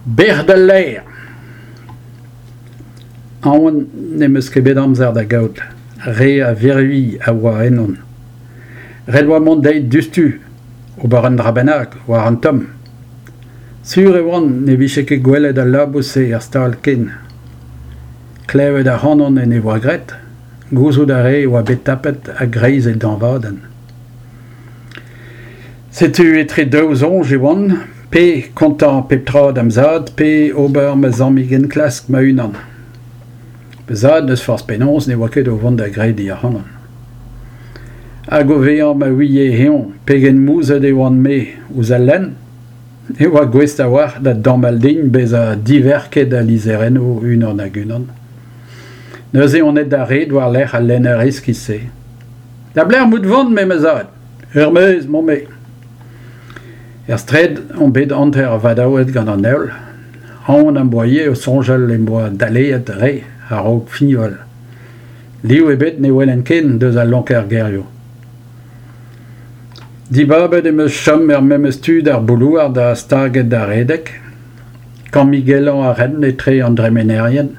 Bec'h d'al laer ! Aon n'em eus ket bet amzer da gaout, re a virvilh a oa ennon. Ret 'oa mont dezhi diouzhtu, ober un dra bennak, war an tomm. Sur e oan ne vije ket gwelet al labous-se er stal ken. Klevet ac'hanon en devoa graet, gouzout a rae e oa bet tapet a-greiz e dañvadenn. Setu etre daou soñj e oan, pe kontañ pep tra da'm zad pe ober ma zammig enklask ma-unan. Ma zad n'eus forzh penaos ne oa ket o vont da grediñ ac'hanon. Hag o vezañ ma ouie eñ pegen mouzhet e oan-me ouzh al lenn, e oa gouest a-walc'h da damall din bezañ diverket al lizherennoù unan-hag-unan. Neuze on aet d'ar red war-lerc'h al lenner iskis-se. Da belec'h 'mout 'vont, me ma zad ? Er-maez 'maon-me. Er straed on bet hanter vadaouet gant an heol. Aon am boa ivez o soñjal em boa daleet re a-raok fiñval. Liv ebet ne welen ken deus al lonker-gerioù. Dibabet em eus chom er memes tu d'ar boulouard ha staget da redek. Kammigellañ a ren etre an dremenerien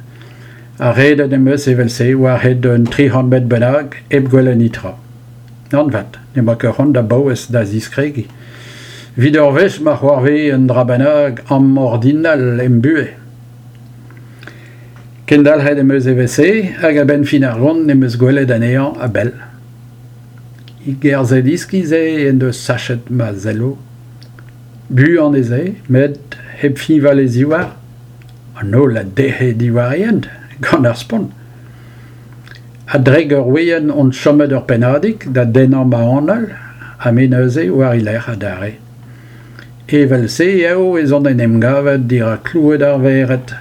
ha redet em eus evel-se war-hed un 300 metr bennak hep gwelet netra. Nann 'vat, n'emañ ket c'hoant da baouez da ziskregiñ. Evit ur wech ma c'hoarvez un dra bennak amordinal em buhez. Kendalc'het em eus evel-se hag a-benn fin ar gont em eus gwelet anezhañ a-bell. E gerzhed iskis eo en deus sachet ma selloù. Buan ez eo, met hep fiñval e zivhar, an holl a dec'he diwar e hent, gant ar spont. A-drek ur wezenn on chomet ur pennadig da dennañ ma anal ha me neuze war e lerc'h adarre. Evel-se eo ez on en em gavet dirak kloued ar vered.